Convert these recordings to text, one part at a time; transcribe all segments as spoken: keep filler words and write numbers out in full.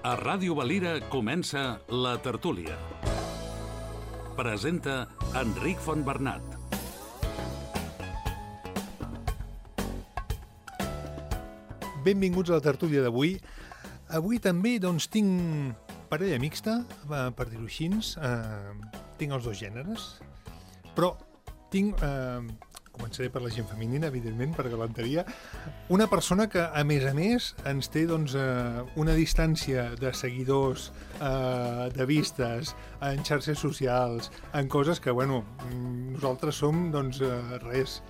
A Ràdio Valira comença La Tertúlia. Presenta Enric Fontbernat. Benvinguts a La Tertúlia d'avui. Avui també doncs, tinc parella mixta, per dir-ho així. Eh, tinc els dos gèneres, però tinc... Eh, començaré per la gent femenina, evidentment, per galanteria. Una persona que, a més a més, ens té doncs, eh, una distància de seguidors, eh, de vistes, en xarxes socials, en coses que, bueno, nosaltres som, doncs, eh, res,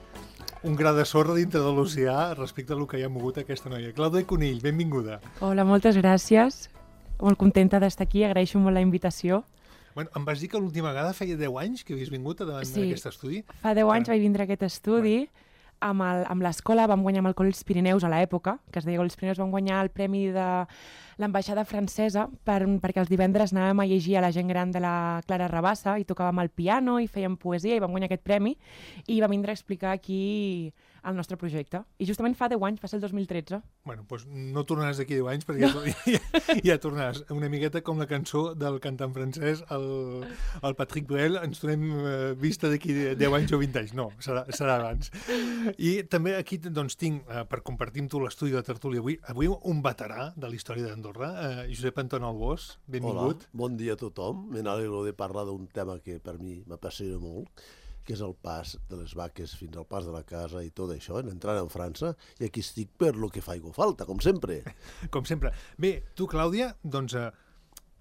un gra de sorra dintre de l'oceà respecte a lo que hi ha mogut aquesta noia. Clàudia Conill, benvinguda. Hola, moltes gràcies. Molt contenta d'estar aquí, agraeixo molt la invitació. Bueno, em vas dir que l'última vegada feia deu anys que havies vingut davant sí, d'aquest estudi. Fa deu anys vaig vindre a aquest estudi. Amb, el, amb l'escola vam guanyar amb el Col·le dels Pirineus a l'època, que es deia Col·le dels Pirineus, vam guanyar el premi de l'ambaixada francesa per, perquè els divendres anàvem a llegir a la gent gran de la Clara Rabassa i tocàvem el piano i fèiem poesia i vam guanyar aquest premi i vam vindre a explicar aquí el nostre projecte. I justament fa deu anys, va ser el dos mil tretze. Bueno, doncs no tornaràs d'aquí deu anys perquè no. ja, ja, ja tornaràs. Una miqueta com la cançó del cantant francès, el, el Patrick Bruel, ens donem eh, vista d'aquí deu anys o vint anys. No, serà, serà abans. I també aquí doncs, tinc, eh, per compartir amb tu l'estudi de Tertúlia avui, avui un veterà de la història d'Andorra, eh, Josep Anton Albós, benvingut. Hola, bon dia a tothom. Me n'alegro de parlar d'un tema que per mi m'apassiona molt, que és el pas de les vaques fins al pas de la casa i tot això, entrant en França, i aquí estic per lo que faigo falta, com sempre. Com sempre. Bé, tu, Clàudia, doncs, eh,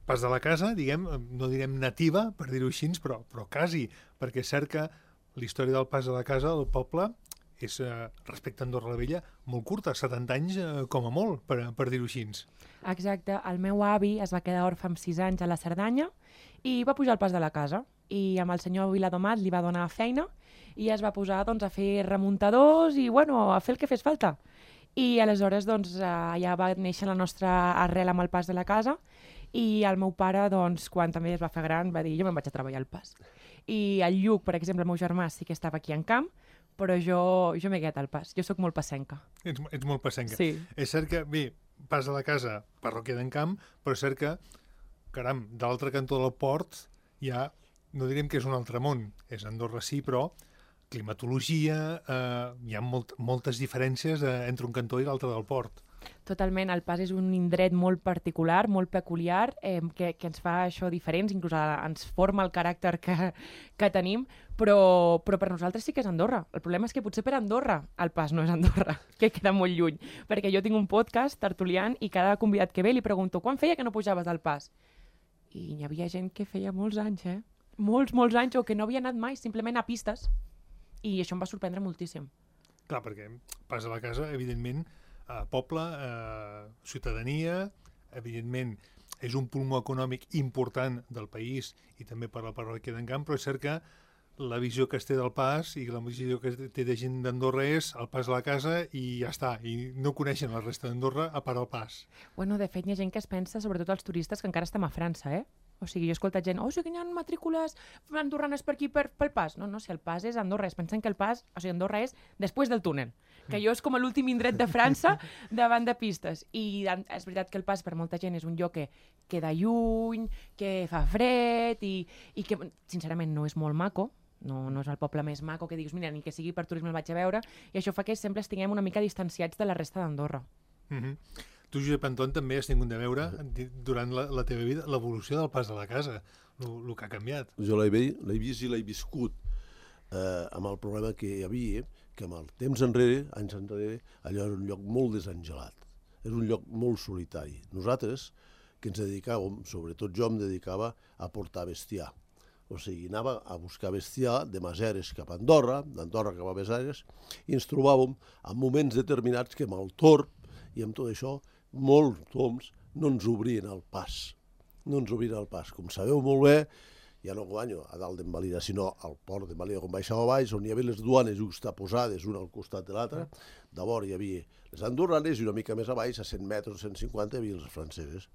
pas de la casa, diguem, no direm nativa, per dir-ho així, però, però quasi, perquè és cert que la història del pas de la casa del poble és, eh, respecte a Andorra la Vella, molt curta, setanta anys eh, com a molt, per, per dir-ho així. Exacte. El meu avi es va quedar orfe amb sis anys a la Cerdanya i va pujar al pas de la casa. I amb el senyor Viladomat li va donar feina i es va posar doncs, a fer remuntadors i bueno, a fer el que fes falta. I aleshores doncs, allà va néixer la nostra arrel amb el pas de la casa i el meu pare, doncs, quan també es va fer gran, va dir jo me'n vaig a treballar al pas. I el Lluc, per exemple, el meu germà sí que estava aquí en camp, però jo, jo m'he quedat al pas. Jo sóc molt passenca. Ets, ets molt passenca. Sí. És cert que, bé, pas de la casa, parròquia d'en Camp, però és cert que, caram, de l'altre cantó del port hi ha, no direm que és un altre món, és Andorra sí, però climatologia, eh, hi ha molt, moltes diferències eh, entre un cantó i l'altre del port. Totalment, el pas és un indret molt particular, molt peculiar, eh, que, que ens fa això diferents, inclús ens forma el caràcter que, que tenim, però, però per nosaltres sí que és Andorra. El problema és que potser per Andorra el pas no és Andorra, que queda molt lluny, perquè jo tinc un podcast tertuliant i cada convidat que ve li pregunto quan feia que no pujaves del pas? I hi havia gent que feia molts anys, eh? Molts, molts anys, o que no havia anat mai, simplement a pistes. I això em va sorprendre moltíssim. Clar, perquè pas a la casa, evidentment, eh, poble, eh, ciutadania, evidentment, és un pulmó econòmic important del país i també per la parròquia d'en Camp, però és cert que la visió que es té del pas i la visió que es té de gent d'Andorra és el pas a la casa i ja està, i no coneixen la resta d'Andorra a part el pas. Bueno, de fet, hi ha gent que es pensa, sobretot els turistes, que encara estem a França, eh? O sigui, jo he escoltat gent, oh, sí que hi ha matrícules andorranes per aquí per, pel pas. No, no, si el pas és Andorra, es pensen que el pas, o sigui, Andorra és després del túnel, que jo és com l'últim indret de França davant de pistes. I és veritat que el pas per molta gent és un lloc que queda lluny, que fa fred i, i que, sincerament, no és molt maco. No, no és el poble més maco que diguis, mira, ni que sigui per turisme el vaig a veure, i això fa que sempre estiguem una mica distanciats de la resta d'Andorra. Mm-hmm. Tu, Josep Anton, també has tingut de veure durant la, la teva vida l'evolució del pas de la casa, el que ha canviat. Jo l'he vist i l'he viscut eh, amb el problema que hi havia, que amb el temps enrere, anys enrere, allò era un lloc molt desangelat, era un lloc molt solitari. Nosaltres, que ens dedicàvem, sobretot jo em dedicava a portar bestiar. O sigui, anava a buscar bestiar de Maseres cap a Andorra, d'Andorra cap a Maseres, i ens trobàvem en moments determinats que amb el torb i amb tot això, molts toms no ens obrien el pas. No ens obrien el pas. Com sabeu molt bé, ja no guanyo a dalt d'en Valira, sinó al port d'en Valira, com baixava baix, on hi havia les duanes justaposades, una al costat de l'altra. Llavors hi havia les andorranes i una mica més a baix, a cent metres, cent cinquanta, hi havia les franceses.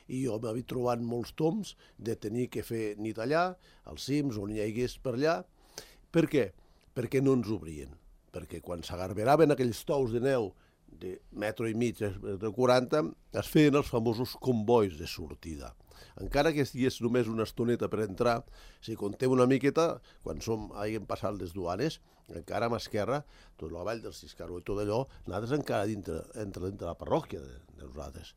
I jo m'havia trobat molts toms de tenir que fer nit allà, als cims, on hi hagués per allà. Per què? Perquè no ens obrien. Perquè quan s'agarberaven aquells tous de neu de metro i mig, de quaranta, es feien els famosos convois de sortida. Encara que estigués només una estoneta per entrar, si contem una miqueta, quan som, hàgim passat les duanes, encara a mà esquerra, tot la vall del Ciscaró i tot allò, nosaltres encara dintre, entre dintre la parròquia de, de nosaltres.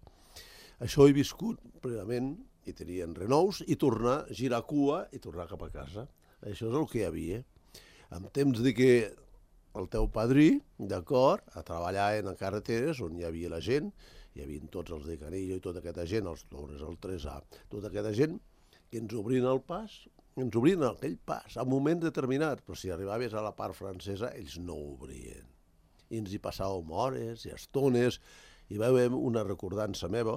Això he viscut plenament, i tenien renous, i tornar, girar cua i tornar cap a casa. Això és el que hi havia. En temps de que el teu padrí, d'acord, a treballar en carreteres on hi havia la gent, hi havia tots els de Canillo i tota aquesta gent, els Torres, el tres A, tota aquesta gent que ens obrien el pas, ens obrien aquell pas a un moment determinat, però si arribaves a la part francesa, ells no obrien. I ens hi passàvem hores i estones, i veiem una recordança meva,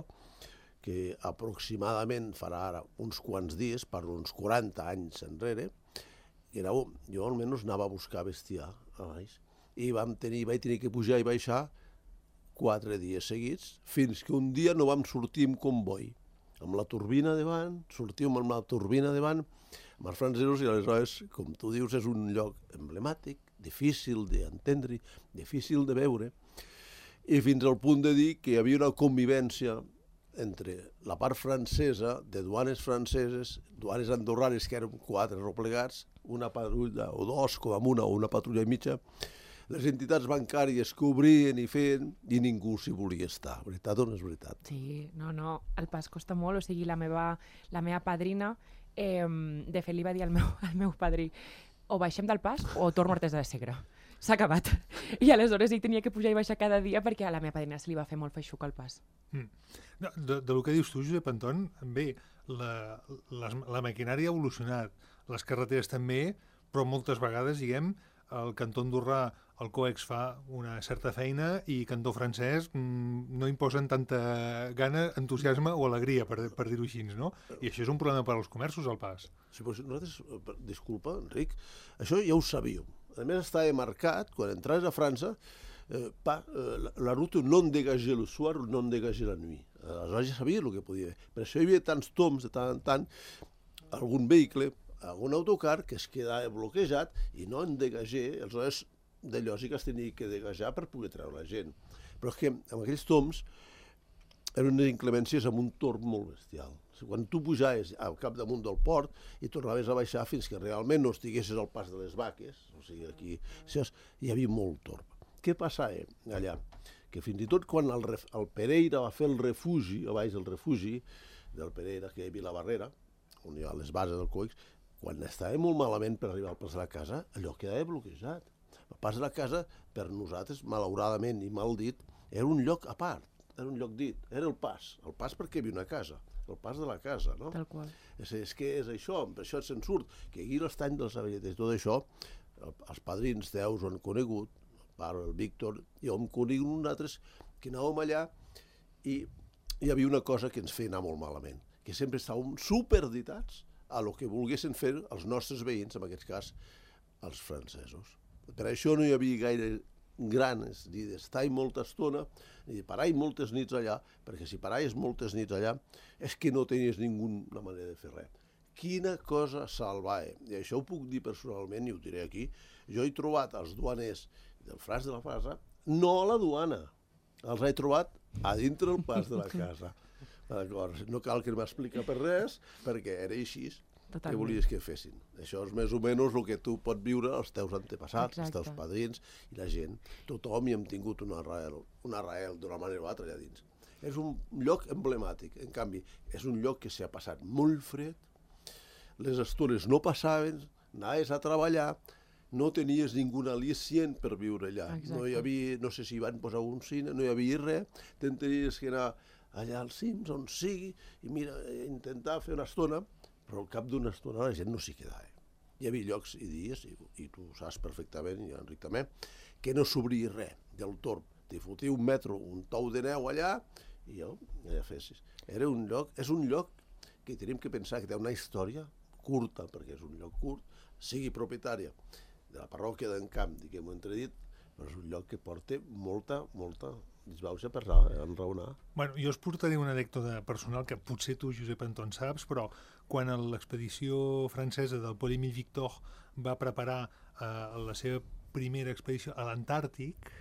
que aproximadament farà ara uns quants dies, per uns quaranta anys enrere, que era, jo almenys anava a buscar bestiar a baix, i vam tenir, vaig tenir que pujar i baixar quatre dies seguits, fins que un dia no vam sortir amb comboi, amb la turbina davant, sortíem amb la turbina davant, amb els francesos, i aleshores, com tu dius, és un lloc emblemàtic, difícil d'entendre, difícil de veure, i fins al punt de dir que hi havia una convivència entre la part francesa, de duanes franceses, duanes andorranes, que eren quatre replegats, una patrulla o dos, com a una, o una patrulla i mitja, les entitats bancàries que obrien i feien, i ningú s'hi volia estar. Veritat o no és veritat? Sí, no, no, el pas costa molt, o sigui, la meva, la meva padrina, eh, de fet li va dir al meu, al meu padrí, o baixem del pas o torno a Artesa de Segre. S'ha acabat. I aleshores ell tenia que pujar i baixar cada dia perquè a la meva padrina se li va fer molt feixuc el pas. Mm. No, de, de lo que dius tu, Josep Anton, bé, la, la, la maquinària ha evolucionat, les carreteres també, però moltes vegades, diguem, el cantó andorrà, el COEX fa una certa feina i cantó francès mmm, no imposen tanta gana, entusiasme o alegria, per, per dir-ho així, no? I això és un problema per als comerços, al pas. Sí, però nosaltres, disculpa, Enric, això ja ho sabíem. A més, estava marcat, quan entraves a França, eh, pa, eh, la, la ruta non dégagée le soir, non dégagée la nuit. Aleshores ja sabia el que podia haver. Per això hi havia tants toms, de tant en tant, algun vehicle, algun autocar que es quedava bloquejat i no en dégagé, aleshores de lògica es tenia que degajar per poder treure la gent. Però és que amb aquells toms eren unes inclemències amb un torn molt bestial. Quan tu pujaves al capdamunt del port i tornaves a baixar fins que realment no estiguessis al pas de les vaques, o sigui, aquí hi havia molt torb. Què passava allà? Que fins i tot quan el, el Pereira va fer el refugi, a baix del refugi del Pereira, que hi havia la barrera, on hi ha les bases del COEX, quan estava molt malament per arribar al pas de la casa, allò quedava bloquejat. El pas de la casa, per nosaltres, malauradament i mal dit, era un lloc a part, era un lloc dit, era el pas, el pas perquè hi havia una casa, el pas de la casa, no? Tal qual. És, és que és això, per això se'n surt, que aquí l'estany dels Avelletes, tot això, el, els padrins teus ho han conegut, el pare, el Víctor, i ho hem conegut nosaltres, que anàvem allà i hi havia una cosa que ens feia anar molt malament, que sempre estàvem superditats a lo que volguessin fer els nostres veïns, en aquest cas, els francesos. Per això no hi havia gaire ganes ni d'estar molta estona, ni de parar moltes nits allà, perquè si paraves moltes nits allà és que no tenies ninguna manera de fer res. Quina cosa salvava. I això ho puc dir personalment i ho diré aquí. Jo he trobat els duaners del Fras de la Fasa, no a la duana, els he trobat a dintre el pas de la casa. No cal que m'expliqui per res, perquè era així. Totalment. Què volies que fessin? Això és més o menys el que tu pots viure els teus antepassats, Exacte. Els teus padrins i la gent. Tothom hi hem tingut una arrel, una arrel d'una manera o altra allà dins. És un lloc emblemàtic. En canvi, és un lloc que s'ha passat molt fred, les estones no passaven, anaves a treballar, no tenies ningú al·licient per viure allà. Exacte. No hi havia, no sé si hi van posar un cine, no hi havia res, tenies que anar allà als cims, on sigui, i mira, intentar fer una estona, però al cap d'una estona la gent no s'hi quedava. Hi havia llocs i dies, i, i tu ho saps perfectament, i Enric també, que no s'obria res del torb. T'hi fotia un metro, un tou de neu allà, i jo, allà fessis. Era un lloc, és un lloc que tenim que pensar que té una història curta, perquè és un lloc curt, sigui propietària de la parròquia d'en Camp, diguem-ho entredit, però és un lloc que porta molta, molta disbauxa per enraonar. Bueno, jo us portaré una anècdota personal que potser tu, Josep Anton, saps, però quan l'expedició francesa del Paul Émile Victor va preparar eh, la seva primera expedició a l'Antàrtic,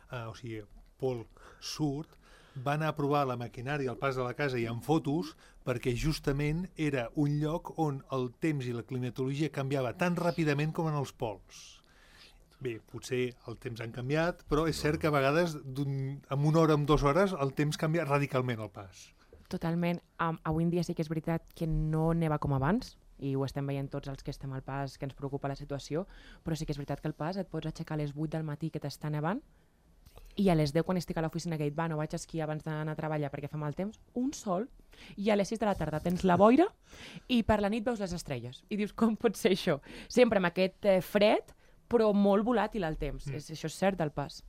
eh, o sigui, Pol surt, va anar a provar la maquinària al pas de la casa i en fotos, perquè justament era un lloc on el temps i la climatologia canviava tan ràpidament com en els pols. Bé, potser el temps han canviat, però és cert que a vegades en una hora o en dues hores el temps canvia radicalment al pas. Totalment. Um, avui en dia sí que és veritat que no neva com abans, i ho estem veient tots els que estem al pas, que ens preocupa la situació, però sí que és veritat que al pas et pots aixecar a les vuit del matí que t'està nevant, i a les deu, quan estic a l'oficina, que et va, no vaig a esquiar abans d'anar a treballar perquè fa mal temps, un sol, i a les sis de la tarda tens la boira i per la nit veus les estrelles. I dius, com pot ser això? Sempre amb aquest eh, fred, però molt volàtil al temps. Mm. És, això és cert del pas.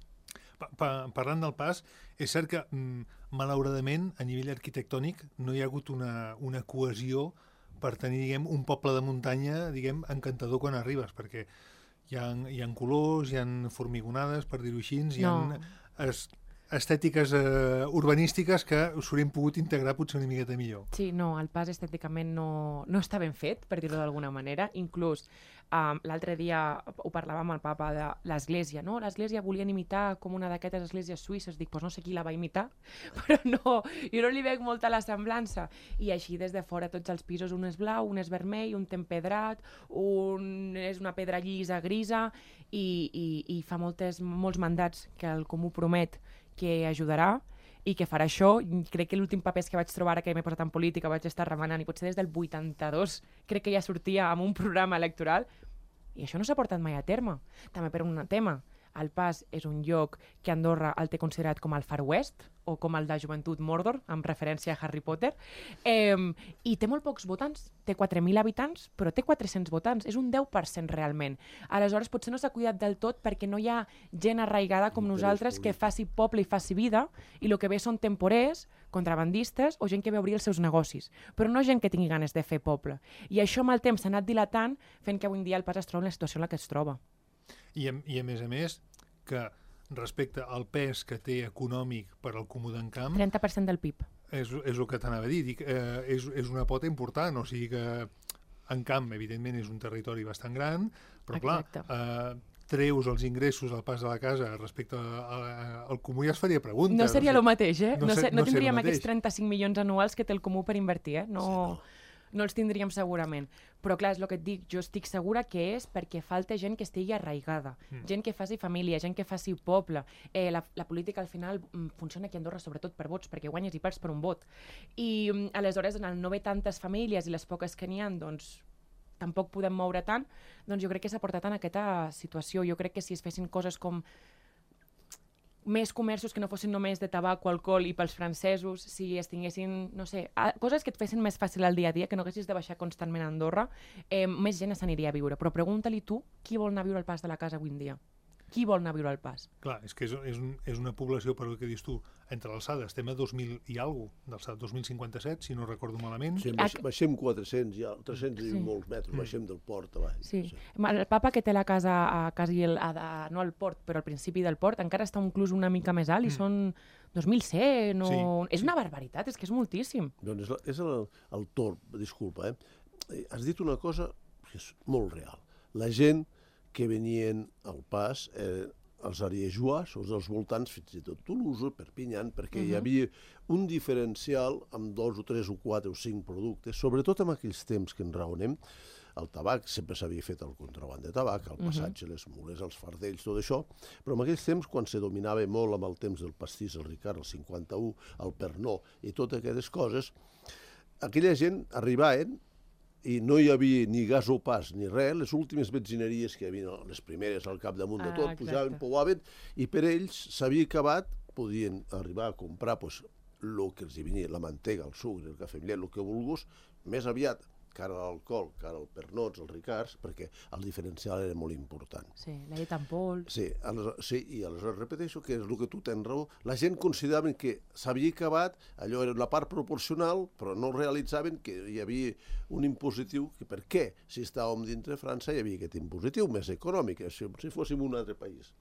Pa pa parlant del pas, és cert que, mm, malauradament, a nivell arquitectònic, no hi ha hagut una, una cohesió per tenir, diguem, un poble de muntanya, diguem, encantador quan arribes, perquè hi ha, hi ha colors, hi ha formigonades, per dir-ho així, hi ha No. es, estètiques eh, urbanístiques que us haurem pogut integrar potser una miqueta millor. Sí, no, el pas estèticament no, no està ben fet, per dir-ho d'alguna manera. Inclús um, l'altre dia ho parlàvem amb el papa de l'església, no? L'església volien imitar com una d'aquestes esglésies suïsses. Dic, doncs no sé qui la va imitar, però no, jo no li veig molta la semblança. I així des de fora tots els pisos, un és blau, un és vermell, un té empedrat, un és una pedra llisa, grisa, i, i, i fa moltes, molts mandats que el Comú promet que ajudarà i que farà això. Crec que l'últim paper que vaig trobar ara que m'he posat en política, vaig estar remenant, i potser des del vuitanta-dos crec que ja sortia amb un programa electoral, i això no s'ha portat mai a terme. També per un tema, el Pas és un lloc que Andorra el té considerat com el Far West, o com el de Joventut Mordor, amb referència a Harry Potter, eh, i té molt pocs votants, té quatre mil habitants, però té quatre-cents votants, és un deu per cent realment. Aleshores, potser no s'ha cuidat del tot perquè no hi ha gent arraigada com nosaltres que faci poble i faci vida, i el que ve són temporers, contrabandistes o gent que ve a obrir els seus negocis, però no gent que tingui ganes de fer poble. I això amb el temps s'ha anat dilatant, fent que avui en dia el Pas es troba en la situació en la que es troba. I a, i a més a més, que respecte al pes que té econòmic per al Comú d'Encamp, trenta per cent del P I B. és, és el que t'anava a dir, Dic, eh, és, és una pota important, o sigui que Encamp, evidentment, és un territori bastant gran, però Exacte. clar, eh, treus els ingressos al Pas de la Casa respecte a, a, al Comú, ja es faria pregunta. No seria el mateix, eh? no No, ser- sé, no, no ser tindríem lo mateix. aquests trenta-cinc milions anuals que té el Comú per invertir, eh? No, Sí, no. no els tindríem segurament. Però clar, és el que et dic, jo estic segura que és perquè falta gent que estigui arraigada, mm. gent que faci família, gent que faci poble. Eh, la, la política al final mm, funciona aquí a Andorra sobretot per vots, perquè guanyes i perds per un vot. I mm, aleshores, en el no haver tantes famílies i les poques que n'hi ha, doncs tampoc podem moure tant, doncs jo crec que s'ha portat en aquesta situació. Jo crec que si es fessin coses com més comerços que no fossin només de tabac o alcohol i pels francesos, si es tinguessin, no sé, a, coses que et fessin més fàcil el dia a dia, que no haguessis de baixar constantment a Andorra, eh, més gent s'aniria a viure. Però pregunta-li tu qui vol anar a viure al Pas de la Casa avui en dia. Qui vol anar a viure al Pas? Clar, és que és, és, un, és una població, per el que dius tu, entre l'alçada, estem a dos mil i alguna cosa, d'alçada dos mil cinquanta-set, si no recordo malament. Sí, baix, baixem quatre-cents, ja, tres-cents Sí. i molts metres, baixem del port avall. Sí. El papa que té la casa a quasi el, a, a, no al port, però al principi del port, encara està inclús una mica més alt i Mm. són dos mil cent o... Sí, És una barbaritat, és que és moltíssim. Doncs és, la, és el, el torb, disculpa, eh? Eh, Has dit una cosa que és molt real. La gent que venien al Pas, eh, els ariejois, els dels voltants, fins i tot Toulouse, Perpignan, perquè uh -huh. hi havia un diferencial amb dos o tres o quatre o cinc productes, sobretot en aquells temps que en raonem. El tabac sempre s'havia fet el contraband de tabac, el passatge, uh -huh. les mules, els fardells, tot això, però en aquells temps, quan se dominava molt amb el temps del pastís, el Ricard, el cinquanta-u, el Pernod i totes aquestes coses, aquella gent arribaven i no hi havia ni gasopàs ni res, les últimes benzineries que hi havia, les primeres al capdamunt de Ah, tot, exacte. pujaven, pouaven, i per ells s'havia acabat, podien arribar a comprar pues, el que els hi venia, la mantega, el sucre, el cafè amb llet, el que vulguis, més aviat, cara a l'alcohol, cara al pernots, als ricards, perquè el diferencial era molt important. Sí, la llet en pols... Sí, aleshores, sí, i aleshores repeteixo que és el que tu tens raó. La gent consideraven que s'havia acabat, allò era la part proporcional, però no realitzaven que hi havia un impositiu, que per què? Si estàvem dintre de França hi havia aquest impositiu més econòmic, si, si fóssim un altre país.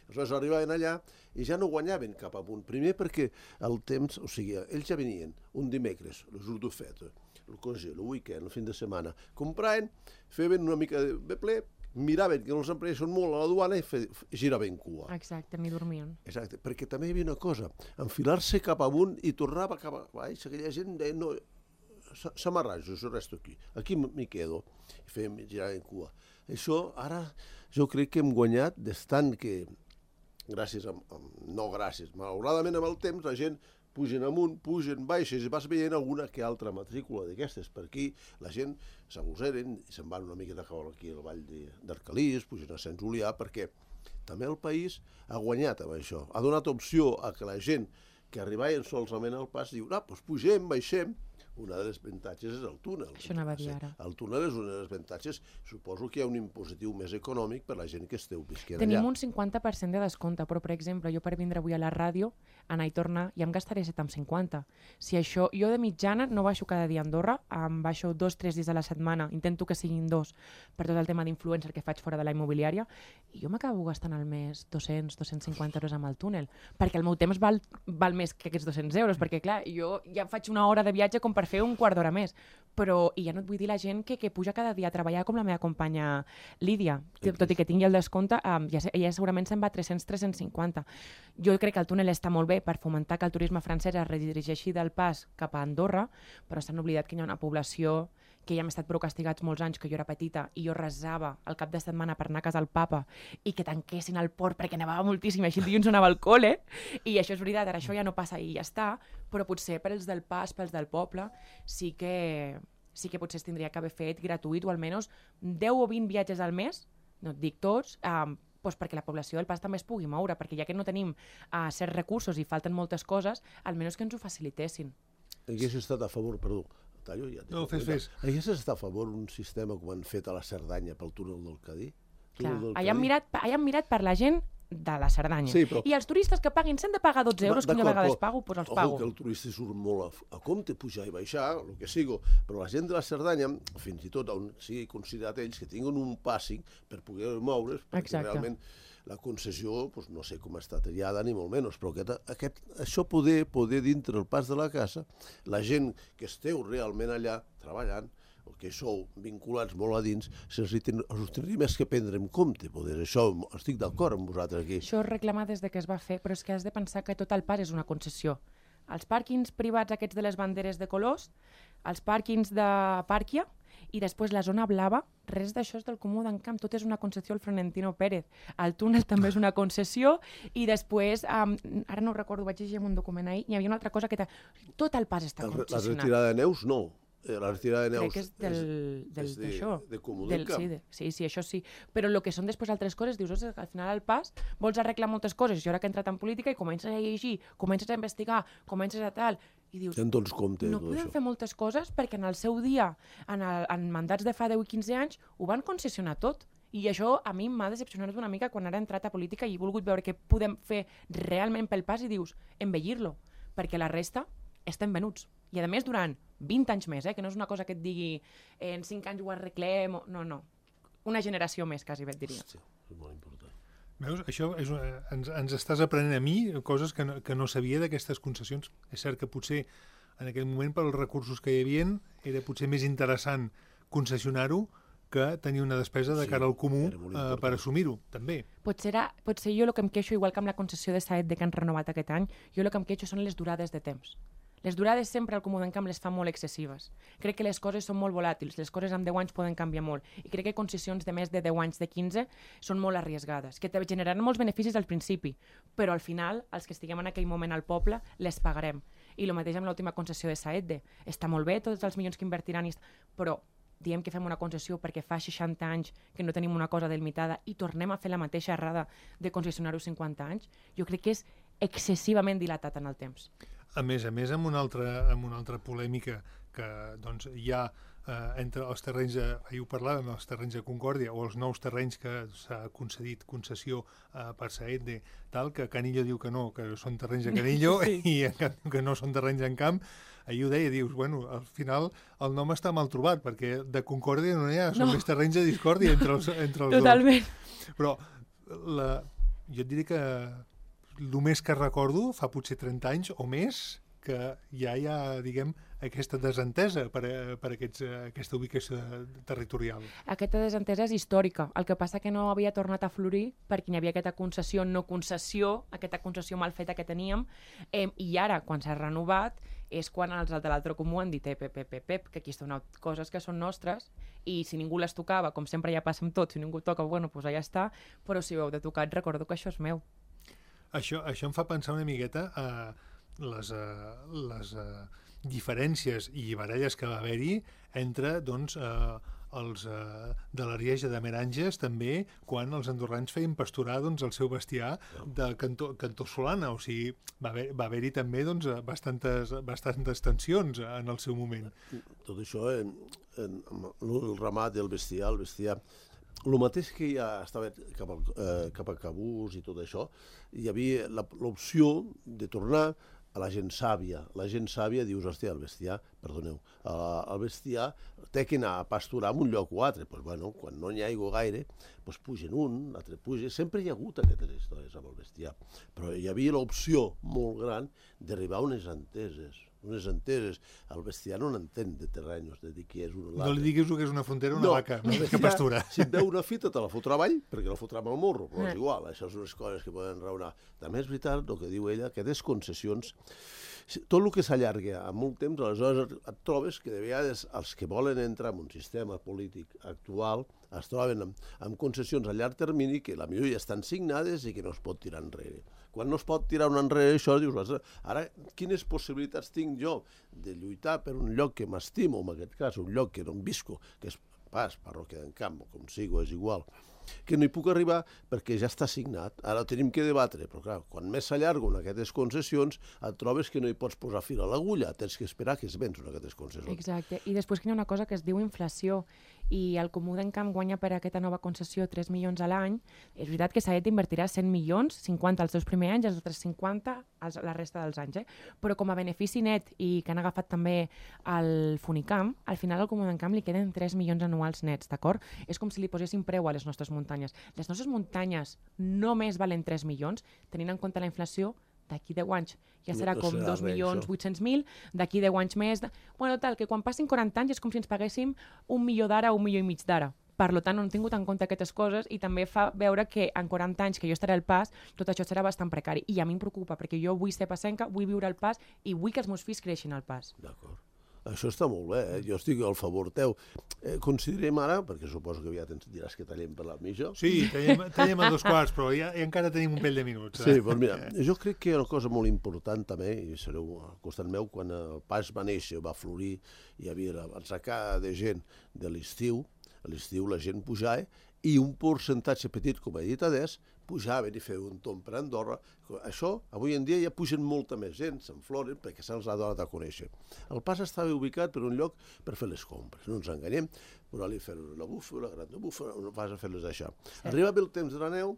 Aleshores arribaven allà i ja no guanyaven cap amunt. Primer perquè el temps, o sigui, ells ja venien un dimecres, el jour de fête, el congé, el weekend, el fin de setmana, compraven, feien una mica de ple miraven que els empresaris són molt a la duana i fe, giraven cua. Exacte, ni dormien. Exacte, perquè també hi havia una cosa, enfilar-se cap amunt i tornava cap a baix, aquella gent deia, no, s'amarrajo, jo resto aquí, aquí m'hi quedo, i fèiem girar en cua. Això, ara, jo crec que hem guanyat d'estant que, gràcies, a, a, no gràcies, malauradament amb el temps, la gent pugen amunt, pugen baixes, i vas veient alguna que altra matrícula d'aquestes. Per aquí la gent s'agosseren i se'n van una miqueta cap aquí al Vall d'Arcalís, pugen a Sant Julià, perquè també el país ha guanyat amb això. Ha donat opció a que la gent que arribaven solament al pas diu, ah, doncs pugem, baixem. Una de les avantatges és el túnel. Això anava a dir ara. El túnel és una de les avantatges. Suposo que hi ha un impositiu més econòmic per la gent que esteu visquent Tenim allà. un cinquanta per cent de descompte, però, per exemple, jo per vindre avui a la ràdio, anar i tornar, ja em gastaré set coma cinquanta. Si això, jo de mitjana no baixo cada dia a Andorra, em baixo dos, tres dies a la setmana, intento que siguin dos, per tot el tema d'influencer que faig fora de la immobiliària, i jo m'acabo gastant al mes dos-cents, dos-cents cinquanta euros amb el túnel, perquè el meu temps val, val més que aquests dos-cents euros, perquè, clar, jo ja faig una hora de viatge com per fer un quart d'hora més, però, i ja no et vull dir la gent que, que puja cada dia a treballar com la meva companya Lídia, tot i que tingui el descompte, um, ja, ja segurament se'n va a tres-cents, tres-cents cinquanta. Jo crec que el túnel està molt bé per fomentar que el turisme francès es redirigeixi del pas cap a Andorra, però s'han oblidat que hi ha una població que ja hem estat prou castigats molts anys, que jo era petita i jo resava el cap de setmana per anar a casa al papa i que tanquessin el port perquè nevava moltíssim i així el dilluns no anava al col·le, i això és veritat, ara això ja no passa i ja està, però potser per els del pas, pels del poble, sí que, sí que potser es tindria que haver fet gratuït o almenys deu o vint viatges al mes, no et dic tots, um, doncs perquè la població del pas també es pugui moure, perquè ja que no tenim uh, certs recursos i falten moltes coses, almenys que ens ho facilitessin. Hagués estat a favor, perdó, tallo ja. No, fes, fes. Hagués estat a favor un sistema com han fet a la Cerdanya pel túnel del Cadí? Clar, allà han, mirat, allà han mirat per la gent de la Cerdanya. Sí, però... I els turistes que paguin s'han de pagar dotze euros, que jo a vegades pago, doncs els pago. Ojo, que el turista surt molt a, a compte, pujar i baixar, el que sigo, però la gent de la Cerdanya, fins i tot on sigui considerat ells, que tinguin un pàssing per poder moure's, perquè Exacte. realment la concessió, doncs, no sé com està tallada, ni molt menys, però aquest, aquest, això poder, poder dintre el pas de la casa, la gent que esteu realment allà treballant, o que sou vinculats molt a dins, se'ls ten, us tindria més que prendre en compte. Poder. Això estic d'acord amb vosaltres aquí. Això es reclama des de que es va fer, però és que has de pensar que tot el pas és una concessió. Els pàrquings privats aquests de les banderes de colors, els pàrquings de Pàrquia, i després la zona blava, res d'això és del Comú d'Encamp, tot és una concessió al Florentino Pérez. El túnel també és una concessió i després, um, ara no ho recordo, vaig llegir en un document ahir, hi havia una altra cosa que... Tot el pas està El, concessionat. La retirada de neus, no. La retirada de neus Crec que és del, del, és de, d'això. de Comú Del, d'Encamp. sí, de, sí, sí, això sí. Però el que són després altres coses, dius, ostres, al final al pas vols arreglar moltes coses. Jo ara que he entrat en política i comences a llegir, comences a investigar, comences a tal, i dius, Ja en dones compte, no tot podem això. fer moltes coses perquè en el seu dia, en, el, en mandats de fa deu i quinze anys, ho van concessionar tot. I això a mi m'ha decepcionat una mica quan ara he entrat a política i he volgut veure què podem fer realment pel pas i dius, embellir-lo, perquè la resta estem venuts. I a més durant vint anys més, eh? Que no és una cosa que et digui eh, en cinc anys ho arreglem, o... no, no. Una generació més, quasi, et diria. Hòstia, és molt important. Veus, això és, una- ens, ens estàs aprenent a mi coses que no, que no sabia d'aquestes concessions. És cert que potser en aquell moment, pels recursos que hi havia, era potser més interessant concessionar-ho que tenir una despesa de Sí, cara al comú era molt eh, important. per assumir-ho, també. Potser, era, potser jo el que em queixo, igual que amb la concessió de Saet de que han renovat aquest any, jo el que em queixo són les durades de temps. Les durades sempre al Comú d'Encamp les fa molt excessives. Crec que les coses són molt volàtils, les coses en deu anys poden canviar molt, i crec que concessions de més de deu anys, de quinze, són molt arriesgades, que te generaran molts beneficis al principi, però al final, els que estiguem en aquell moment al poble, les pagarem. I el mateix amb l'última concessió de Saetde. Està molt bé tots els milions que invertiran, però diem que fem una concessió perquè fa seixanta anys que no tenim una cosa delimitada i tornem a fer la mateixa errada de concessionar-ho cinquanta anys, jo crec que és excessivament dilatat en el temps. A més a més, amb una altra, amb una altra polèmica que doncs, hi ha eh, entre els terrenys, de, ahir ho parlàvem, els terrenys de Concòrdia o els nous terrenys que s'ha concedit concessió eh, per Saetde, tal, que Canillo diu que no, que són terrenys de Canillo sí. i en canvi que no són terrenys en camp. Ahir ho deia, dius, bueno, al final el nom està mal trobat, perquè de Concòrdia no n'hi ha, són No. més terrenys de discòrdia entre els, entre els Totalment. dos. Però la, jo et diria que el més que recordo fa potser trenta anys o més que ja hi ha, diguem, aquesta desentesa per, per aquests, aquesta ubicació territorial? Aquesta desentesa és històrica. El que passa que no havia tornat a florir perquè hi havia aquesta concessió, no concessió, aquesta concessió mal feta que teníem, eh, i ara, quan s'ha renovat, és quan els de l'altre comú han dit ep, ep, ep, ep, que aquí estan coses que són nostres i si ningú les tocava, com sempre ja passa amb tot, si ningú toca, bueno, doncs allà està, però si ho heu de tocar, recordo que això és meu. Això, això em fa pensar una miqueta a les, a, les a, diferències i baralles que va haver-hi entre, doncs, a, els uh, de l'Arieja de Meranges també, quan els andorrans feien pasturar doncs, el seu bestiar de cantó, cantó Solana, o sigui, va haver, va haver-hi també doncs, bastantes, bastantes tensions en el seu moment. Tot això, en, en, el ramat i el bestiar, el bestiar, el mateix que ja estava cap, al, eh, cap a Cabús i tot això, hi havia l'opció de tornar a la gent sàvia. La gent sàvia dius, hòstia, el bestiar, perdoneu, el bestiar té que anar a pasturar en un lloc o altre. Pues, bueno, quan no n'hi ha aigua gaire, pues pugen un, l'altre puja. Sempre hi ha hagut aquestes històries amb el bestiar. Però hi havia l'opció molt gran d'arribar a unes enteses. Unes enteses. El bestiar no n'entén de terrenys, de dir qui és un o l'altre. No li diguis que és una frontera, una no, vaca, no, que pastura. Si et veu una fita, te la fotrà avall, perquè la fotrà amb el morro, però és igual, això són unes coses que poden raonar. També és veritat el que diu ella, que aquestes concessions, tot el que s'allarga a molt temps, aleshores et trobes que de vegades els que volen entrar en un sistema polític actual es troben amb, amb concessions a llarg termini que la millor ja estan signades i que no es pot tirar enrere. Quan no es pot tirar un enrere això, dius, ara, quines possibilitats tinc jo de lluitar per un lloc que m'estimo, en aquest cas, un lloc que no em visco, que és pas, parròquia d'en Camp, com sigo, és igual, que no hi puc arribar perquè ja està signat. Ara tenim que debatre, però clar, quan més s'allarguen aquestes concessions, et trobes que no hi pots posar fil a l'agulla, tens que esperar que es vencen aquestes concessions. Exacte, i després que hi ha una cosa que es diu inflació, i el Comú d'en Camp guanya per aquesta nova concessió tres milions a l'any. És veritat que Saet invertirà cent milions, cinquanta els seus primers anys, els altres cinquanta els, la resta dels anys, eh? Però com a benefici net i que han agafat també el Funicamp, al final al Comú d'en Camp li queden tres milions anuals nets, d'acord? És com si li posessin preu a les nostres muntanyes. Les nostres muntanyes només valen tres milions, tenint en compte la inflació, d'aquí deu anys ja serà com dos milions vuit-cents mil, d'aquí deu anys més... De... Bueno, tal, que quan passin quaranta anys és com si ens paguéssim un milió d'ara o un milió i mig d'ara. Per tant, no han tingut en compte aquestes coses i també fa veure que en quaranta anys que jo estaré al Pas, tot això serà bastant precari. I a mi em preocupa, perquè jo vull ser passenca, vull viure al Pas i vull que els meus fills creixin al Pas. D'acord. Això està molt bé, eh? Jo estic al favor teu. Eh, considerem ara, perquè suposo que ja tens, diràs que tallem per la mitja. Sí, tallem, tallem a dos quarts, però ja, ja encara tenim un pell de minuts. Eh? Sí, doncs mira, jo crec que hi ha una cosa molt important també, i sereu al costat meu, quan el Pas va néixer, va florir, hi havia l'atzecada de gent de l'estiu, a l'estiu la gent pujava, i un percentatge petit, com he dit adés, pujaven i feien un tomb per Andorra. Això, avui en dia, ja pugen molta més gent, s'enfloren, perquè se'ls ha donat a conèixer. El Pas estava ubicat per un lloc per fer les compres, no ens enganyem, però ali fer la bufa, la gran bufa, no vas a fer-les això. Arribava el temps de la neu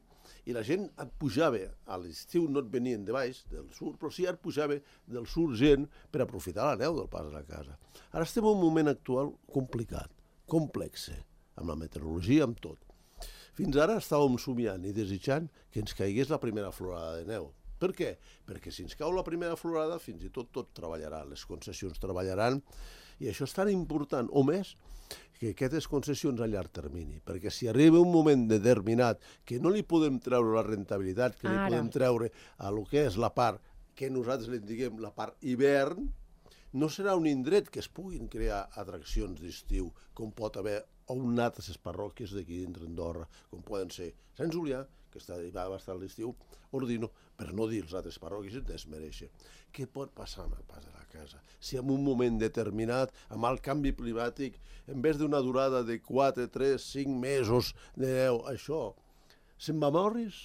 i la gent et pujava, a l'estiu no et venien de baix, del sud, però sí et pujava del sud gent per aprofitar la neu del Pas a la casa. Ara estem en un moment actual complicat, complex, amb la meteorologia, amb tot. Fins ara estàvem somiant i desitjant que ens caigués la primera florada de neu. Per què? Perquè si ens cau la primera florada, fins i tot tot treballarà, les concessions treballaran, i això és tan important, o més, que aquestes concessions a llarg termini, perquè si arriba un moment determinat que no li podem treure la rentabilitat, que li Ara. podem treure a lo que és la part, que nosaltres li diguem la part hivern, no serà un indret que es puguin crear atraccions d'estiu, com pot haver a un altres parròquies d'aquí dintre Andorra, com poden ser Sant Julià, que està, va estar a l'estiu, Ordino, per no dir els altres parròquies, et desmereixen. Què pot passar amb el Pas de la Casa? Si en un moment determinat, amb el canvi climàtic, en vez d'una durada de quatre, tres, cinc mesos de neu, això, se'n va morris?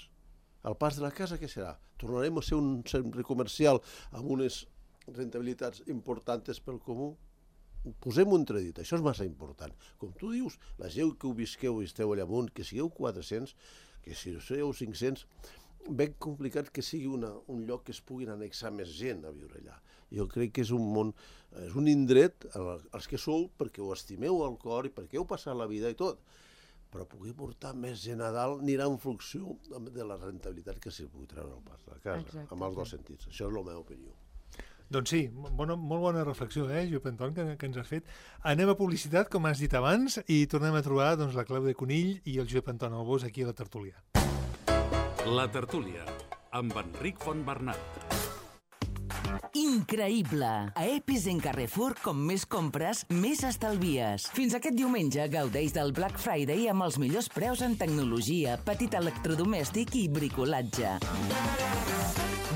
El Pas de la Casa què serà? Tornarem a ser un centre comercial amb unes rentabilitats importants pel comú? Posem-ho entredit, això és massa important. Com tu dius, la gent que ho visqueu i esteu allà amunt, que sigueu quatre-cents, que si sigueu cinc-cents, ben complicat que sigui una, un lloc que es puguin annexar més gent a viure allà. Jo crec que és un món, és un indret, els que sou, perquè ho estimeu al cor i perquè heu passat la vida i tot, però poder portar més gent a dalt anirà en funció de la rentabilitat que s'hi pugui treure al Pas de la Casa, amb els dos sentits. Això és la meva opinió. Doncs sí, bona, molt bona reflexió, eh, Josep Anton, que, que ens has fet. Anem a publicitat, com has dit abans, i tornem a trobar doncs, la Clàudia Conill i el Josep Anton Albós aquí a la tertúlia. La tertúlia, amb Enric Fontbernat. Increïble! A Epis en Carrefour, com més compres, més estalvies. Fins aquest diumenge gaudeix del Black Friday amb els millors preus en tecnologia, petit electrodomèstic i bricolatge.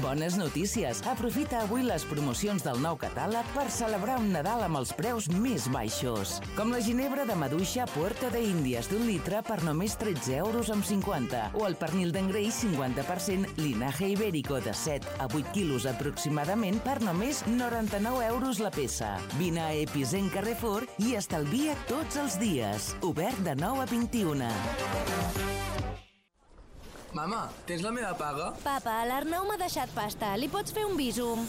Bones notícies! Aprofita avui les promocions del nou catàleg per celebrar un Nadal amb els preus més baixos. Com la ginebra de maduixa Puerto de Índies d'un litre per només tretze euros amb cinquanta o el pernil d'engreix cinquanta per cent linaje ibérico de set a vuit quilos aproximadament per només noranta-nou euros la peça. Vine a Epis en Carrefour i estalvia tots els dies. Obert de nou a vint-i-una. Mama, tens la meva paga? Papa, l'Arnau m'ha deixat pasta. Li pots fer un bísum?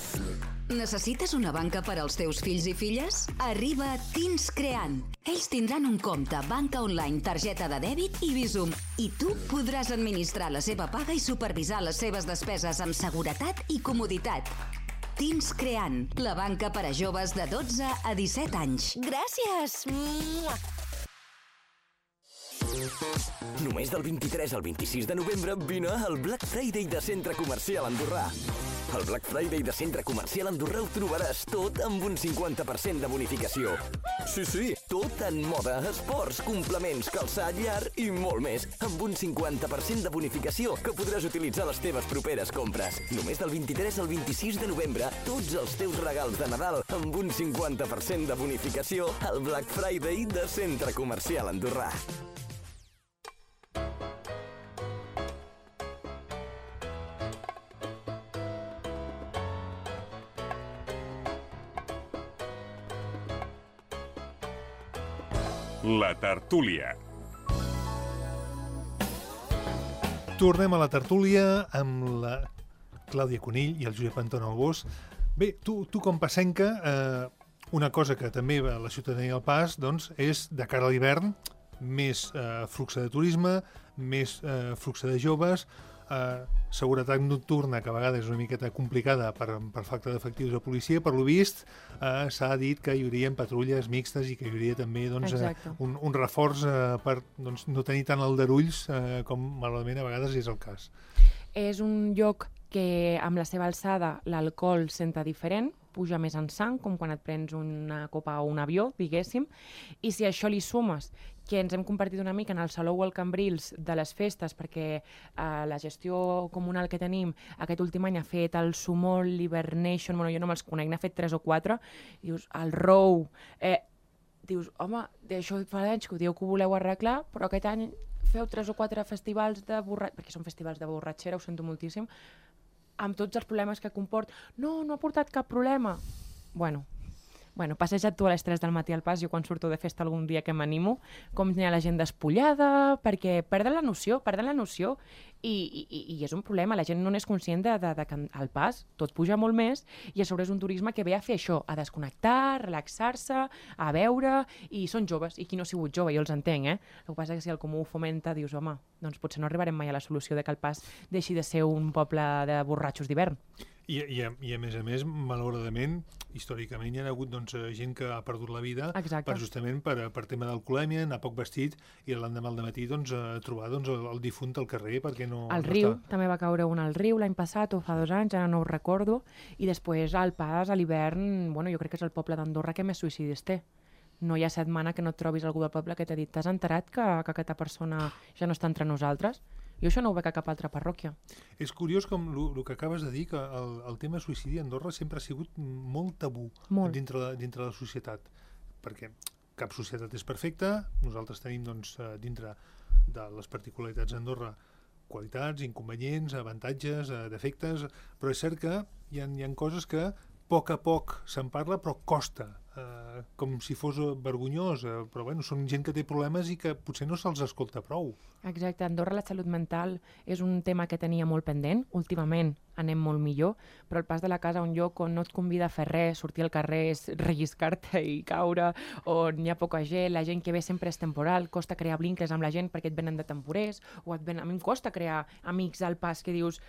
Necessites una banca per als teus fills i filles? Arriba Teens Creant. Ells tindran un compte, banca online, targeta de dèbit i Bizum. I tu podràs administrar la seva paga i supervisar les seves despeses amb seguretat i comoditat. Teens Creant, la banca per a joves de dotze a disset anys. Gràcies! Mua! Només del vint-i-tres al vint-i-sis de novembre vine al Black Friday de Centre Comercial Andorrà. Al Black Friday de Centre Comercial Andorrà ho trobaràs tot amb un cinquanta per cent de bonificació. Sí, sí, tot en moda, esports, complements, calçat, llar i molt més, amb un cinquanta per cent de bonificació que podràs utilitzar a les teves properes compres. Només del vint-i-tres al vint-i-sis de novembre, tots els teus regals de Nadal amb un cinquanta per cent de bonificació al Black Friday de Centre Comercial Andorrà. La tertúlia. Tornem a la tertúlia amb la Clàudia Conill i el Josep Anton Albós. Bé, tu, tu com passenca, eh, una cosa que també va a la ciutadania del Pas doncs, és, de cara a l'hivern, més eh, flux de turisme, més eh, flux de joves, eh, seguretat nocturna, que a vegades és una miqueta complicada per, per falta d'efectius de policia. Per lo vist, eh, s'ha dit que hi haurien patrulles mixtes i que hi hauria també doncs, eh, un, un reforç eh, per doncs, no tenir tant aldarulls eh, com malament a vegades és el cas. És un lloc que amb la seva alçada l'alcohol senta diferent, puja més en sang, com quan et prens una copa o un avió, diguéssim, i si a això li sumes que ens hem convertit una mica en el Salou o el Cambrils de les festes, perquè eh, la gestió comunal que tenim aquest últim any ha fet el Sumol, l'Hibernation, bueno, jo no me'ls conec, n'ha fet tres o quatre, i dius, el Row, eh, dius, home, d'això fa anys que ho dieu que ho voleu arreglar, però aquest any feu tres o quatre festivals de borratxera, perquè són festivals de borratxera, ho sento moltíssim, amb tots els problemes que comport. No, no ha portat cap problema. Bueno, bueno, passeja't tu a les tres del matí al Pas, jo quan surto de festa algun dia que m'animo, com hi ha la gent despullada, perquè perden la noció, perden la noció, i, i, i és un problema, la gent no n'és conscient de, de, de que al Pas tot puja molt més, i a sobre és un turisme que ve a fer això, a desconnectar, relaxar-se, a veure, i són joves, i qui no ha sigut jove, jo els entenc, eh? El que passa és que si el comú ho fomenta, dius, home, doncs potser no arribarem mai a la solució de que el Pas deixi de ser un poble de borratxos d'hivern. I, i, a, I a més a més, malauradament, històricament hi ha hagut doncs, gent que ha perdut la vida per, justament per, per tema d'alcoholèmia, anar poc vestit i l'endemà al dematí doncs, trobar doncs, el, el difunt al carrer perquè no... Al no riu, està... també va caure un al riu l'any passat o fa dos anys, ara no ho recordo, i després al Pas, a l'hivern, bueno, jo crec que és el poble d'Andorra que més suïcidis té. No hi ha setmana que no et trobis algú del poble que t'ha dit t'has enterat que, que aquesta persona ja no està entre nosaltres? Jo això no ho veig a cap altra parròquia. És curiós com el que acabes de dir, que el, el tema suïcidi a Andorra sempre ha sigut molt tabú molt. Dintre, de, dintre de la societat, perquè cap societat és perfecta, nosaltres tenim doncs, dintre de les particularitats d'Andorra qualitats, inconvenients, avantatges, defectes, però és cert que hi ha, hi ha coses que a poc a poc se'n parla, però costa, eh, com si fos vergonyós, eh, però bueno, són gent que té problemes i que potser no se'ls escolta prou. Exacte, a Andorra la salut mental és un tema que tenia molt pendent, últimament anem molt millor, però el Pas de la Casa, un lloc on no et convida a fer res, sortir al carrer és relliscar-te i caure, on hi ha poca gent, la gent que ve sempre és temporal, costa crear vincles amb la gent perquè et venen de temporers, o et ven... a mi em costa crear amics al Pas que dius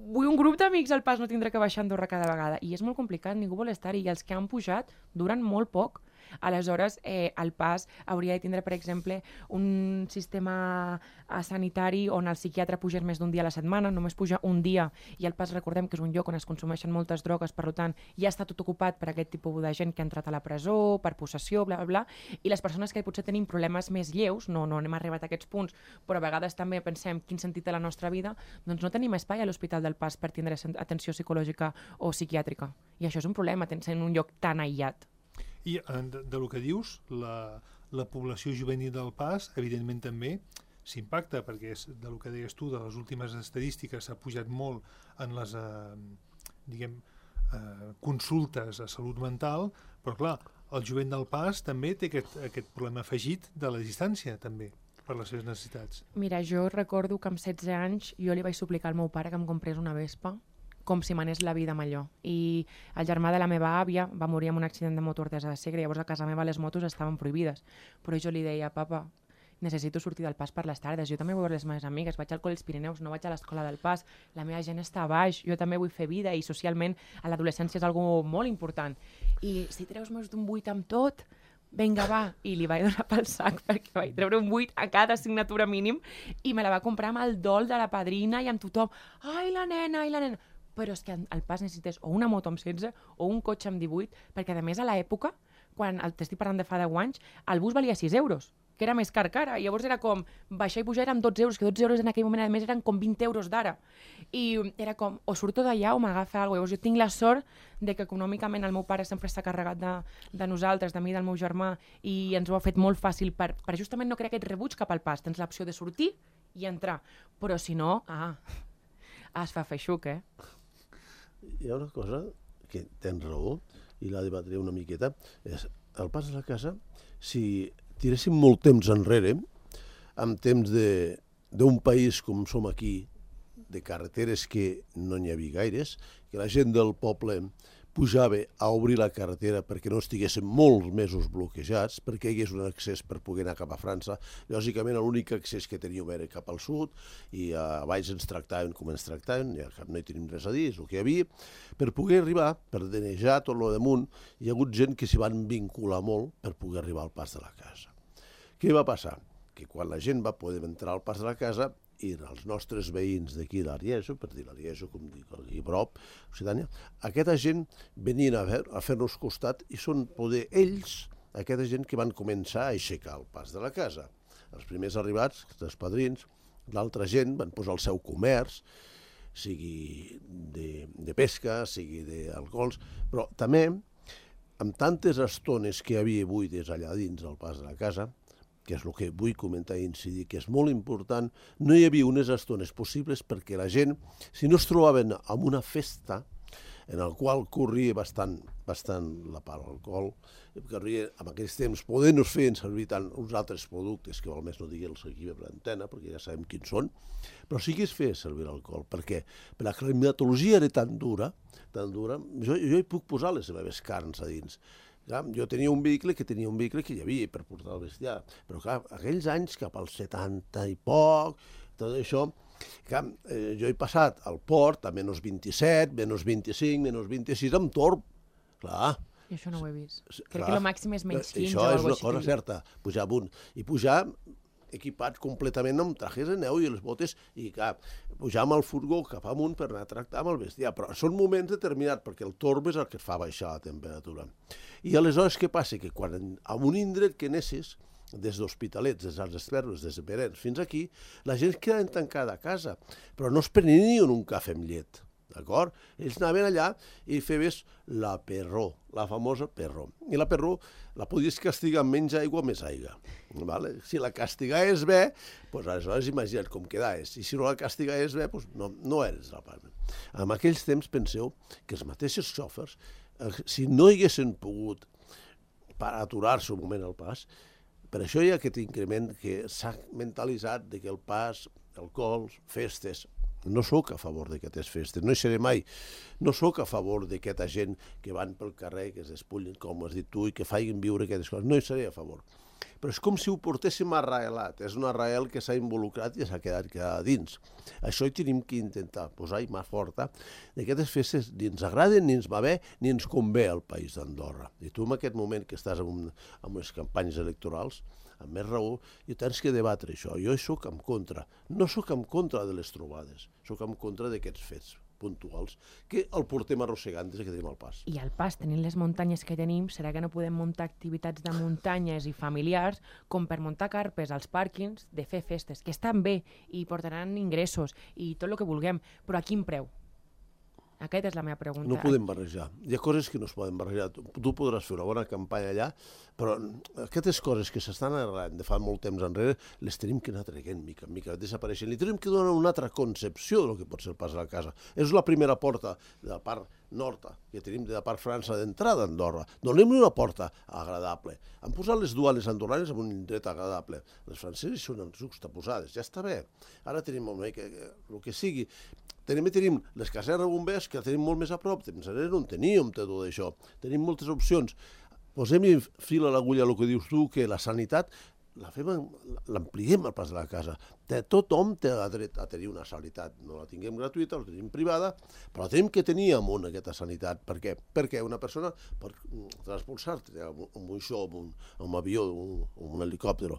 vull un grup d'amics al pas, no tindré que baixar a Andorra cada vegada. I és molt complicat, ningú vol estar-hi. I els que han pujat duren molt poc. Aleshores, eh, el pas hauria de tindre, per exemple, un sistema sanitari on el psiquiatre pugés més d'un dia a la setmana, només puja un dia, i el pas, recordem que és un lloc on es consumeixen moltes drogues, per tant, ja està tot ocupat per aquest tipus de gent que ha entrat a la presó, per possessió, bla, bla, bla, i les persones que potser tenim problemes més lleus, no, no hem arribat a aquests punts, però a vegades també pensem quin sentit té la nostra vida, doncs no tenim espai a l'Hospital del Pas per tindre atenció psicològica o psiquiàtrica. I això és un problema, sent un lloc tan aïllat. I de, de lo que dius, la, la població juvenil del Pas, evidentment també s'impacta, perquè és de lo que deies tu, de les últimes estadístiques s'ha pujat molt en les eh, diguem, eh, consultes a salut mental, però clar, el jovent del Pas també té aquest, aquest problema afegit de la distància, també, per les seves necessitats. Mira, jo recordo que amb setze anys jo li vaig suplicar al meu pare que em comprés una Vespa, com si m'anés la vida amb allò. I el germà de la meva àvia va morir en un accident de motor des de Segre, llavors a casa meva les motos estaven prohibides. Però jo li deia, papa, necessito sortir del Pas per les tardes, jo també vull veure les meves amigues, vaig al col·le dels Pirineus, no vaig a l'escola del Pas, la meva gent està a baix, jo també vull fer vida i socialment a l'adolescència és algo molt important. I si treus més d'un vuit amb tot, vinga, va, i li vaig donar pel sac perquè vaig treure un vuit a cada assignatura mínim i me la va comprar amb el dol de la padrina i amb tothom. Ai, la nena, ai, la nena. Però és que al Pas necessites o una moto amb setze o un cotxe amb divuit, perquè a més a l'època, quan t'estic parlant de fa deu anys, el bus valia sis euros, que era més car que ara. Llavors era com, baixar i pujar eren dotze euros, que dotze euros en aquell moment a més eren com vint euros d'ara. I era com, o surto d'allà o m'agafa alguna cosa. Llavors jo tinc la sort de que econòmicament el meu pare sempre s'ha carregat de, de nosaltres, de mi i del meu germà, i ens ho ha fet molt fàcil per, per justament no crear aquest rebuig cap al Pas. Tens l'opció de sortir i entrar. Però si no, ah, es fa feixuc, eh? Hi ha una cosa que tens raó i la debatré una miqueta, és el Pas de la Casa, si tiréssim molt temps enrere, amb temps d'un país com som aquí, de carreteres que no n'hi havia gaires, que la gent del poble pujava a obrir la carretera perquè no estiguessin molts mesos bloquejats, perquè hi hagués un accés per poder anar cap a França. Lògicament, l'únic accés que teníem era cap al sud, i a baix ens tractaven com ens tractaven, ja no hi tenim res a dir, és el que hi havia. Per poder arribar, per denejar tot el damunt, hi ha hagut gent que s'hi van vincular molt per poder arribar al Pas de la Casa. Què va passar? Que quan la gent va poder entrar al Pas de la Casa, i els nostres veïns d'aquí d'Arieso, per dir l'Arieso, com dic, aquí a prop, Occitània, aquesta gent venien a, fer, a fer-nos costat i són poder ells, aquesta gent que van començar a aixecar el Pas de la Casa. Els primers arribats, els padrins, l'altra gent van posar el seu comerç, sigui de, de pesca, sigui d'alcohols, però també, amb tantes estones que hi havia buides allà dins del Pas de la Casa, que és el que vull comentar i incidir, que és molt important, no hi havia unes estones possibles perquè la gent, si no es trobaven en una festa en el qual corria bastant, bastant la part de l'alcohol, corria en aquells temps, podent-nos fer servir tant uns altres productes, que val més no digue'ls aquí per l'antena, perquè ja sabem quins són, però sí que es feia servir l'alcohol, perquè per la climatologia era tan dura, tan dura, jo, jo hi puc posar les meves carns a dins. Clar, jo tenia un vehicle que tenia un vehicle que hi havia per portar el bestiar, però clar, aquells anys, cap als setanta i poc, tot això, clar, eh, jo he passat al port a menys vint-i-set, menys vint-i-cinc, menys vint-i-sis, amb torb, clar. I això no ho he vist. Crec que el màxim és menys quinze o alguna cosa així. Això és una cosa certa, pujar amunt. I pujar equipats completament amb trajes de neu i les botes, i clar, pujar amb el furgó cap amunt per anar a tractar amb el bestiar. Però són moments determinats, perquè el torb és el que et fa baixar la temperatura. I aleshores què passa? Que quan en un indret que anessis, des d'Hospitalets, des dels Esperos, des de Perens fins aquí, la gent quedava tancada a casa, però no es prenien un cafè amb llet. D'acord? Ells anaven allà i feves la perró, la famosa perró. I la perró la podies castigar amb menys aigua o més aigua. Vale? Si la castigaves bé, doncs aleshores imagina't com quedaves. I si no la castigaves bé, doncs no, no eres la part. En aquells temps penseu que els mateixos xòfers, si no haguessin pogut per aturar-se un moment al pas, per això hi ha aquest increment que s'ha mentalitzat de que el pas, alcohols, festes. No sóc a favor d'aquestes festes, no hi seré mai. No sóc a favor d'aquesta gent que van pel carrer, que es despullin, com has dit tu, i que facin viure aquestes coses. No hi seré a favor. però és com si ho portéssim arraelat. És un arrael que s'ha involucrat i s'ha quedat a dins. Això hi tenim que intentar posar-hi mà forta que aquestes festes ni ens agraden, ni ens va bé, ni ens convé al país d'Andorra. I tu en aquest moment que estàs en, un, en unes campanyes electorals, amb més raó, i tens que debatre això. Jo sóc en contra. No sóc en contra de les trobades, sóc en contra d'aquests fets puntuals, que el portem arrossegant des que tenim el pas. I al pas, tenint les muntanyes que tenim, serà que no podem muntar activitats de muntanyes i familiars com per muntar carpes als pàrquings de fer festes, que estan bé i portaran ingressos i tot el que vulguem, però a quin preu? Aquesta és la meva pregunta. No podem barrejar. Hi ha coses que no es poden barrejar. Tu, tu podràs fer una bona campanya allà, però aquestes coses que s'estan arreglant de fa molt temps enrere, les tenim que anar traient mica en mica, desapareixent. Li tenim que donar una altra concepció del que pot ser el pas a la casa. És la primera porta de la part nord, que tenim de la part França d'entrada a Andorra. Donem-li una porta agradable. Han posat les duanes andorranes en un indret agradable. Les franceses són juxtaposades, ja està bé. Ara tenim una mica, el que sigui. També tenim les casernes bombers, que tenim molt més a prop. Temps enrere no en teníem tot això. Tenim moltes opcions. Posem-hi fil a l'agulla el que dius tu, que la sanitat l'ampliem al pas de la casa. Tothom té dret a tenir una sanitat. No la tinguem gratuïta, la tenim privada, però tenim que tenir amunt aquesta sanitat. Per què? Perquè una persona pot transportar-te amb un xou, amb un avió, amb un helicòpter.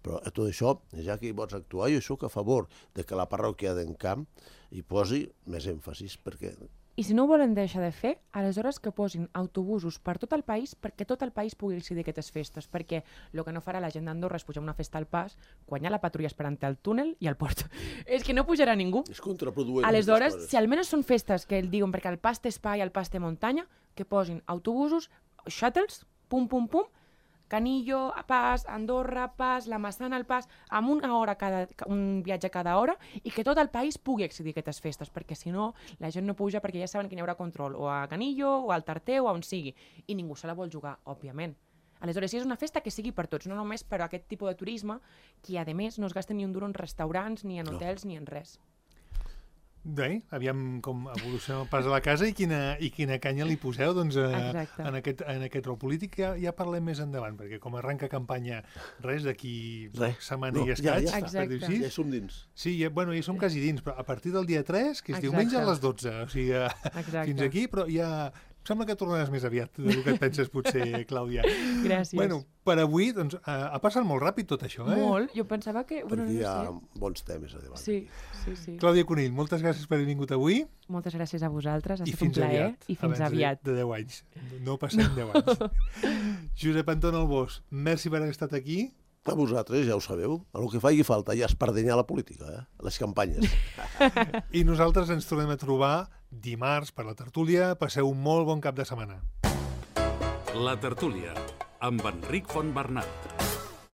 Però a tot això, ja que hi pots actuar, jo soc a favor de que la parròquia d'Encamp hi posi més èmfasis, perquè... I si no ho volen deixar de fer, aleshores que posin autobusos per tot el país perquè tot el país pugui accedir a aquestes festes, perquè el que no farà la gent d'Andorra és pujar una festa al pas quan hi ha la patrulla esperant al túnel i al port. És que no pujarà ningú. És contraproduent. Aleshores, si almenys són festes que el diuen perquè el pas té espai, el pas té muntanya, que posin autobusos, shuttles, pum, pum, pum, Canillo, Pas, Andorra, Pas, la Massana, el Pas, amb una hora cada, un viatge cada hora, i que tot el país pugui accedir a aquestes festes, perquè si no, la gent no puja perquè ja saben que hi haurà control, o a Canillo, o al Tarter, o on sigui, i ningú se la vol jugar, òbviament. Aleshores, si és una festa que sigui per tots, no només per a aquest tipus de turisme, que a més no es gasta ni un duro en restaurants, ni en hotels, no. ni en res. Bé, aviam com evoluciona el pas a la casa i quina, i quina canya li poseu doncs, a, en, aquest, en aquest rol polític. Ja, ja parlem més endavant, perquè com arranca campanya res d'aquí setmana no, i escaig. Ja, ja, per dir-ho, ja hi som dins. Sí, ja, bueno, ja som quasi dins, però a partir del dia tres, que és Exacte. diumenge a les dotze, o sigui, Exacte. fins aquí, però ja... Sembla que tornaràs més aviat del que et penses, potser, Clàudia. Gràcies. Bueno, per avui, doncs, ha passat molt ràpid tot això, eh? Molt. Jo pensava que... Perquè hi ha bons temes a debat. Sí, sí, sí. Clàudia Conill, moltes gràcies per haver vingut avui. Moltes gràcies a vosaltres, ha estat un plaer. I fins aviat. De deu anys. No passem deu anys. Josep Anton Albós, merci per haver estat aquí. A vosaltres, ja ho sabeu, el que faci falta ja espardenyar la política, eh? Les campanyes. I nosaltres ens tornem a trobar dimarts per la tertúlia. Passeu un molt bon cap de setmana. La tertúlia, amb Enric Fontbernat.